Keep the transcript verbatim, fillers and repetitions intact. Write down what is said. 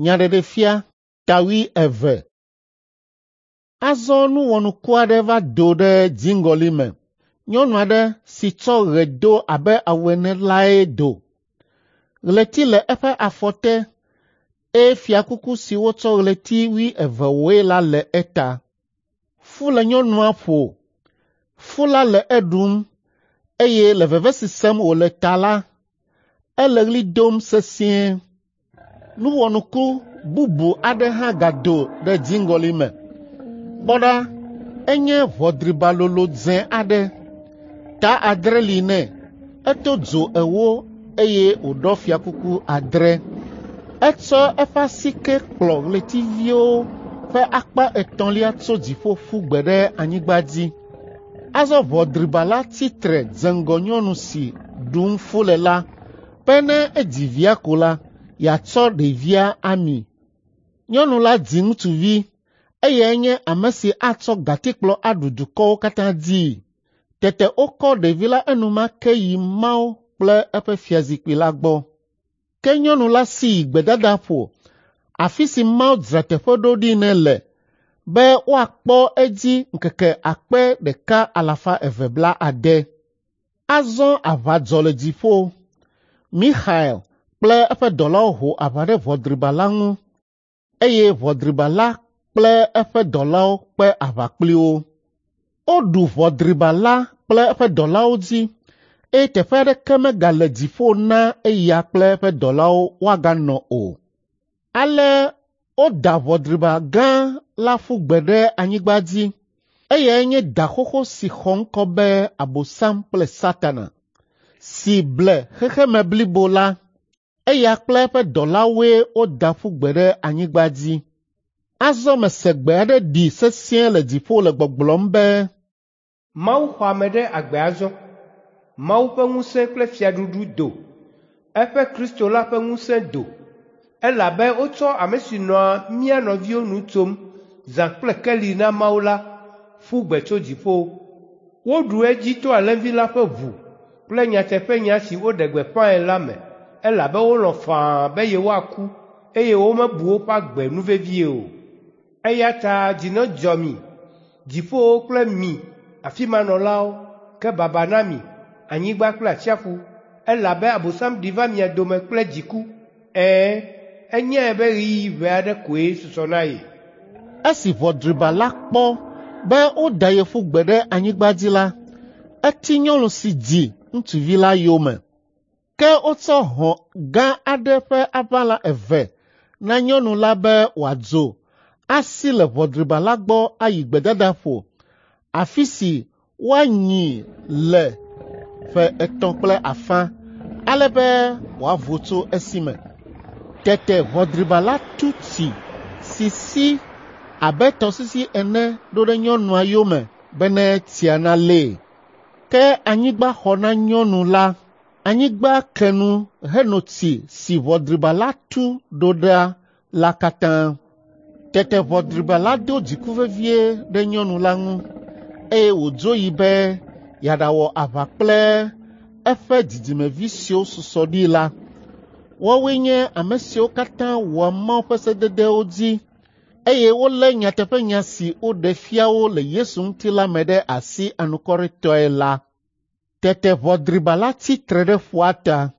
Nyaɖeɖefia ta wuieve. Azɔ nu wɔnuku aɖe va do ɖe dziŋgɔli me. Nyɔnu aɖe si tsɔ ɣe do abe awu ene lae do. Ɣleti le eƒe afɔ te eye fiakuku si wotsɔ ɣleti wuieve wɔe la le eta. Fu le nyɔnua ƒo. Fu la le eɖum eye le veve si sem wòle ta la, ele ɣli dom sesĩe. Nu wɔnuku bubu aɖe hã gado ɖe dziŋgɔli me. Kpɔ ɖa, enye ʋɔ driba lolo dzẽ aɖe. Ta adre li nɛ, eto dzo ewo eye wòɖɔ fiakuku adre. Etsɔ eƒe asike kplɔ ɣletiviwo ƒe akpa etɔ̃lia tso dziƒo ƒu gbe ɖe anyigba dzi. Azɔ ʋɔ driba la tsi tre dze ŋgɔ nyɔnu si ɖum fu le la be ne edzi via ko la, yeatsɔ ɖevia ami. Nyɔnu la dzi ŋutsuvi, eyae nye ame si atsɔ gatikplɔ aɖu dukɔwo katã dzii. Tete wokɔ ɖevi la enumake yi Mawu kple eƒe fiazikpui la gbɔ. Ke nyɔnu la si yi gbedadaƒo, afi si Mawu dzra teƒe ɖo ɖi nɛ le be woakpɔ edzi ŋkeke akpe ɖeka alafa eve blaade. Azɔ aʋa dzɔ le dziƒo. Mixael kple eƒe dɔlawo ho aʋa ɖe ʋɔ driba la ŋu eye ʋɔ driba la kple eƒe dɔlawo kpe aʋa kpli wo. Woɖu ʋɔ driba la kple eƒe dɔlawo dzi eye teƒe aɖeke megale dziƒo na eya kple eƒe dɔlawo woaganɔ o. Ale woda ʋɔ driba gã la ƒu gbe ɖe anyigba dzi. Eyae nye da xoxo si xɔ ŋkɔ be Abosam kple Satana, si ble xexeme blibo la. Eya kple eƒe dɔlawoe woda ƒu gbe ɖe anyigba dzi. Azɔ mese gbe aɖe ɖi sesĩe le dziƒo le gbɔgblɔm be, Mawu xɔ ame ɖe agbe azɔ. Mawu ƒe ŋusẽ kple fiaɖuɖu do. Eƒe Kristo la ƒe ŋusẽ do. Elabe wotsɔ ame si nɔa mía nɔviwo nu tsom zã kple keli na Mawu la ƒu gbe tso dziƒo. Woɖu edzi to Alẽvi la ƒe ʋu kple nyateƒenya si woɖe gbeƒãe la me elabe wolɔ̃ faa be yewoaku eye womebu woƒe agbe nu vevie o. Eya ta dzi nedzɔ mi, dziƒowo kple mi afi ma nɔlawo, ke baba na mi, anyigba kple atsiaƒu, elabe Abosam ɖi va mia dome kple dziku. Ɛ̃, enyae be ɣeyiɣi ʋɛ aɖe koe susɔ na ye. Esi ʋɔ driba la kpɔ be woda ye ƒu gbe ɖe anyigba dzi la, eti nyɔnu si dzi ŋutsuvi la yome. Ke wotsɔ hɔ̃ gã aɖe ƒe aʋala eve na nyɔnu la be wòadzo asi le ʋɔ driba la gbɔ ayi gbedadaƒo, afi si woanyii le ƒe etɔ̃ kple afã, ale be wòavo tso esi me. Tete ʋɔ driba la tu tsi si si abe tɔsisi ene ɖo ɖe nyɔnua yome bene tsia nalée. Ke anyigba xɔ na nyɔnu la. Anyigba ke nu heno tsi si ʋɔ driba la tu ɖo ɖa la katã. Tete ʋɔ driba la do dziku vevie ɖe nyɔnu la ŋu eye wòdzo yi be yeaɖawɔ aʋa kple eƒe dzidzimevi siwo susɔ ɖi la. Woawoe nye ame siwo katã wɔa Mawu ƒe sededewo dzi eye wolé nyateƒenya si woɖe fia wo le Yesu ŋuti la me ɖe asi anukwaretɔe la. Tete ʋɔ driba la tsi tre ɖe ƒua ta.